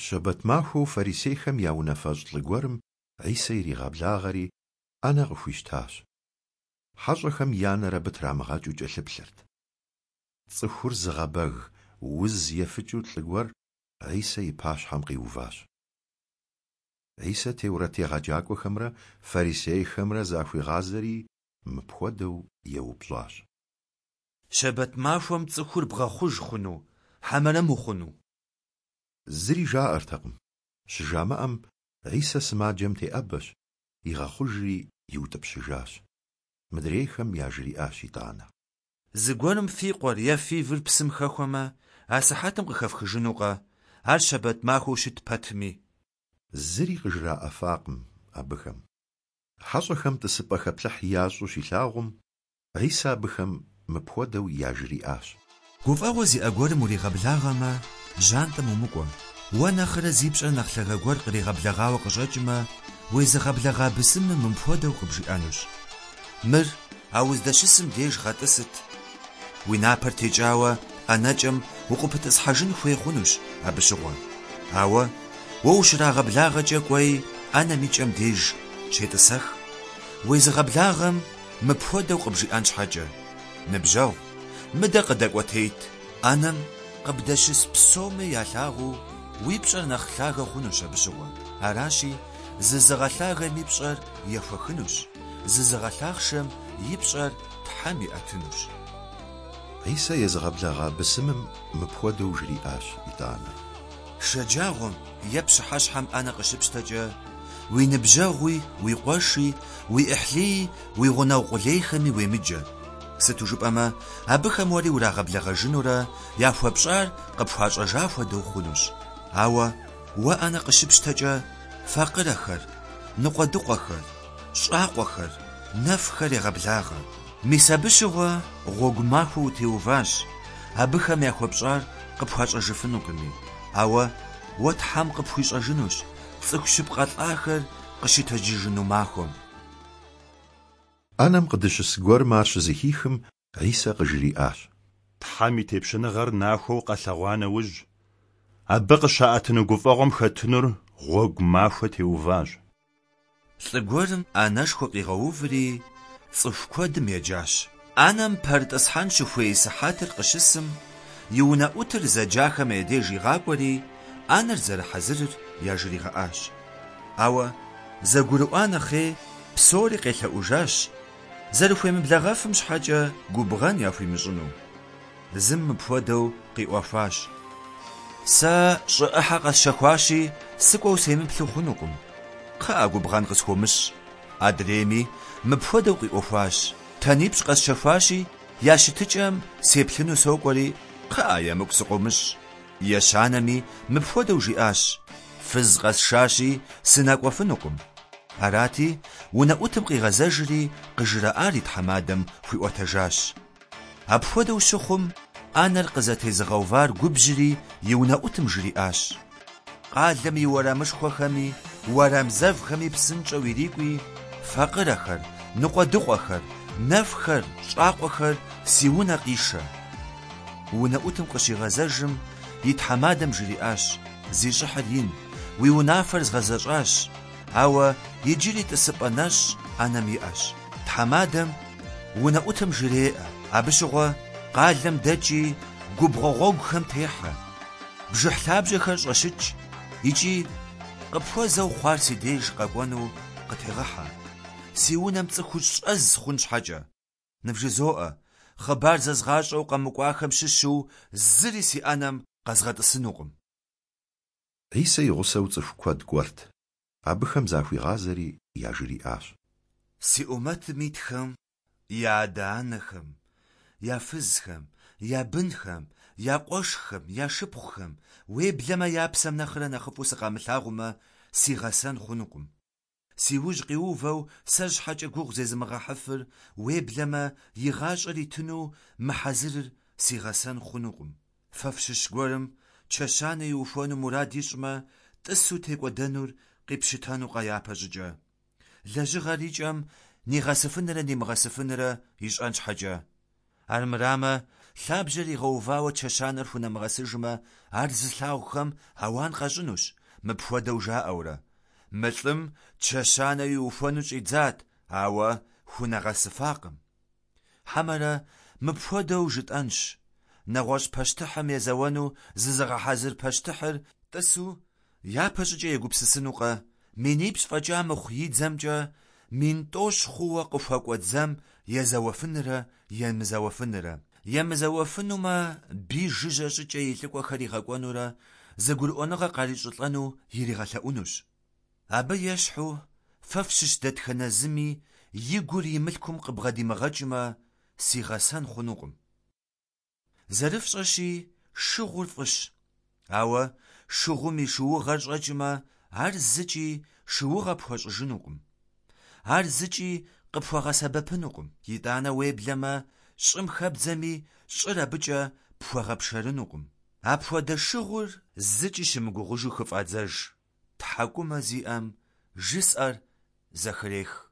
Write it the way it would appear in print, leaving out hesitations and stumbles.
Щэбэт махуэу фарисейхэм я унафэщӏ лӏы гуэрым Хьисэ иригъэблагъэри, ӏэнэ къыхуищтащ. Хьэщӏэхэм я нэр абы трамыгъэкӏыу кӏэлъыплъырт. Цӏыхур зыгъэбэг уз ефыкӏыу лӏы гуэр Хьисэ и пащхьэм къиуващ. Хьисэ теурэт егъэджакӏуэхэмрэ фарисейхэмрэ захуигъазэри мыпхуэдэу еупщӏащ. Щэбэт махуэм цӏыхур бгъэхъуж хъуну, хьэмэрэ мыхъуну? Зыри жаӏэртэкъым. Щыжамыӏэм, Хьисэ сымаджэм теӏэбэщ, игъэхъужри иутӏыпщыжащ. Мыдрейхэм яжриӏащ итӏанэ. Зыгуэрым фи къуэр е фи выр псым хэхуэмэ, асыхьэтым къыхэфхыжынукъэ, ар щэбэт махуэу щыт пэтми? Зыри къыжраӏэфакъым абыхэм. Хьэщӏэхэм тӏысыпӏэ хэплъыхь ящӏу щилъагъум, Хьисэ абыхэм мыпхуэдэу яжриӏащ. Гуфӏэгъуэ зиӏэ гуэрым уригъэблагъэмэ, жьантӏэм умыкӏуэ. Уэ нэхърэ зи пщӏэр нэхъ лъагэ гуэр къригъэблэгъауэ къыщӏэкӏмэ, уезыгъэблэгъа бысымым мыпхуэдэу къыбжиӏэнущ. Мыр а уздэщысым деж гъэтӏысыт. Уи напэр текӏауэ ӏэнэкӏэм укъыпытӏысхьэжын хуей хъунущ абы щыгъуэ. Ауэ уэ ущрагъэблагъэкӏэ кӏуэи ӏэнэм и кӏэм деж щетӏысэх. Уезыгъэблагъэм мыпхуэдэу къыбжиӏэн щхьэкӏэ, Ныбжьэгъу, мыдэ къыдэкӏуэтейт. ӏэнэм къыбдэщыс псоми ялъагъуу уи пщӏэр нэхъ лъагэ хъунущ абы щыгъуэ. Аращи, зызыгъэлъагэм и пщӏэр ехуэхынущ, зызыгъэлъахъшэм и пщӏэр Тхьэм иӏэтынущ. Хьисэ езыгъэблэгъа бысымым мыпхуэдэу жриӏащ итӏанэ. Шэджагъуэм е пщыхьэщхьэм ӏэнэ къыщыпщтэкӏэ, уи ныбжьэгъуи, уи къуэши, уи ӏыхьлыи, уи гъунэгъу къулейхэми уемыджэ. Сыту жыпӏэмэ, абыхэм уэри урагъэблэгъэжынурэ, яхуэпщӏар къыпхуащӏэжа хуэдэу хъунущ. Ауэ уэ ӏэнэ къыщыпщтэкӏэ, факъырэхэр, ныкъуэдыкъуэхэр, щӏакъуэхэр, нэфхэр егъэблагъэ. Мис абы щыгъуэ гъуэгу махуэ утеуващ, абыхэм яхуэпщӏар къыпхуащӏэжыфынукъыми. Ауэ уэ Тхьэм къыпхуищӏэжынущ цӏыху щыпкъэ лӏахэр къыщытэджыжыну махуэм. ӏэнэм къыдыщыс гуэрым ар щызэхихым, Хьисэ къыжриӏащ. Тхьэм и тепщэныгъэр нахуэу къэлъэгъуа нэужь, абы къыщаӏэтыну гуфӏэгъуэм хэтынур гъуэгу махуэ теуващ. Лӏы гуэрым ӏэнэшхуэ къигъэуври, цӏыху куэдым еджащ. ӏэнэм пэрытӏысхьэн щыхуей сыхьэтыр къыщысым, и унэӏутыр зэджахэм я деж игъакӏуэри, ӏэнэр зэрыхьэзырыр яжригъэӏащ. Ауэ, зэгурыӏуа нэхъей, псори къелъэӏужащ, зэрыхуемыблэгъэфым щхьэкӏэ губгъэн яхуимыщӏыну. Зым мыпхуэдэу къиӏуэхуащ, Сэ щӏы ӏыхьэ къэсщэхуащи, сыкӏуэу семыплъу хъунукъым. Кхъыӏэ, губгъэн къысхуомыщӏ. Адрейми мыпхуэдэу къиӏуэхуащ, Тэнипщӏ къэсщэхуащи, я щытыкӏэм сеплъыну сокӏуэри, кхъыӏэ, емыкӏу сыкъыумыщӏ. Ещанэми мыпхуэдэу жиӏащ, Фыз къэсшащи, сынэкӏуэфынукъым. Арати, унэӏутым къигъэзэжри, къыжраӏар и тхьэмадэм хуиӏуэтэжащ. Апхуэдэу щыхъум, ӏэнэр къызэтезыгъэувар губжьри и унэӏутым жриӏащ. Къалэм и уэрамышхуэхэми уэрам зэвхэми псынщӏэу ирикӏуи, факъырэхэр, ныкъуэдыкъуэхэр, нэфхэр, щӏакъуэхэр си унэ къишэ. Унэӏутым къыщигъэзэжым, и тхьэмадэм жриӏащ, Зи щӏыхьыр ин, уи унафэр згъэзэщӏащ, ауэ иджыри тӏысыпӏэ нэщӏ ӏэнэм иӏэщ. Тхьэмадэм унэӏутым жреӏэ, Абы щыгъуэ къалэм дэкӏи губгъуэ гъуэгухэм техьэ, бжыхь лъабжьэхэр щӏэщыкӏ икӏи къыпхуэзэу хъуар си деж къэкӏуэну къытегъыхьэ, си унэм цӏыхур щӏэз хъун щхьэкӏэ. Нывжызоӏэ, хъыбар зэзгъащӏэу къэмыкӏуахэм щыщу зыри си ӏэнэм къэзгъэтӏысынукъым. Хьисэ и гъусэу цӏыху куэд кӏуэрт. Абыхэм захуигъазэри яжриӏащ. Си ӏумэтым итхэм я адэ-анэхэм, я фызхэм, я бынхэм, я къуэшхэм, я шыпхъухэм, уеблэмэ я псэм нэхърэ нэхъыфӏу сыкъамылъагъумэ, си гъэсэн хъунукъым. Си ужь къиувэу сэр щхьэкӏэ гугъу зезымыгъэхьыфыр, уеблэмэ и гъащӏэр итыну мыхьэзырыр си гъэсэн хъунукъым. Фэ фщыщ гуэрым чэщанэ иухуэну мурад ищӏмэ, тӏысу текӏуэдэнур къипщытэнукъэ япэщӏыкӏэ? Лэжьыгъэр и кӏэм нигъэсыфынрэ нимыгъэсыфынрэ ищӏэн щхьэкӏэ. Армырамэ, Лъабжьэр игъэувауэ чэщанэр хунэмыгъэсыжмэ, ар зылъагъухэм ауан къащӏынущ, мыпхуэдэу жаӏэурэ: Мы лӏым чэщанэ иухуэну щӏидзат, ауэ хунэгъэсыфакъым. Хьэмэрэ мыпхуэдэу жытӏэнщ: нэгъуэщӏ пащтыхьым езэуэну зызыгъэхьэзыр пащтыхьыр тӏысу япэщӏыкӏэ егупсысынукъэ, минипщӏ фӏэкӏа мыхъу и дзэмкӏэ 10,000 хъууэ къыхуэкӏуэ дзэм езэуэфынрэ емызэуэфынрэ. Емызэуэфынумэ, бий жыжьэ щӏыкӏэ и лӏыкӏуэхэр игъэкӏуэнурэ зэгурыӏуэныгъэ къарищӏылӏэну иригъэлъэӏунущ. Абы ещхьу, фэ фщыщ дэтхэнэ зыми и гур и мылъкум къыбгъэдимыгъэкӏмэ, си гъэсэн хъунукъым. Зэрыфщӏэщи, шыгъур фӏыщ, ауэ шыгъум и шыугъэр щӏэкӏмэ, ар зыкӏи шыугъэ пхуэщӏыжынукъым. Ар зыкӏи къыпхуэгъэсэбэпынукъым. Итӏанэ уеблэмэ, щӏым хэбдзэми, щӏыр абыкӏэ пхуэгъэпшэрынукъым. Апхуэдэ шыгъур зыкӏи щымыгугъыжу хыфӏадзэж. Тхьэкӏумэ зиӏэм жысӏэр зэхрех.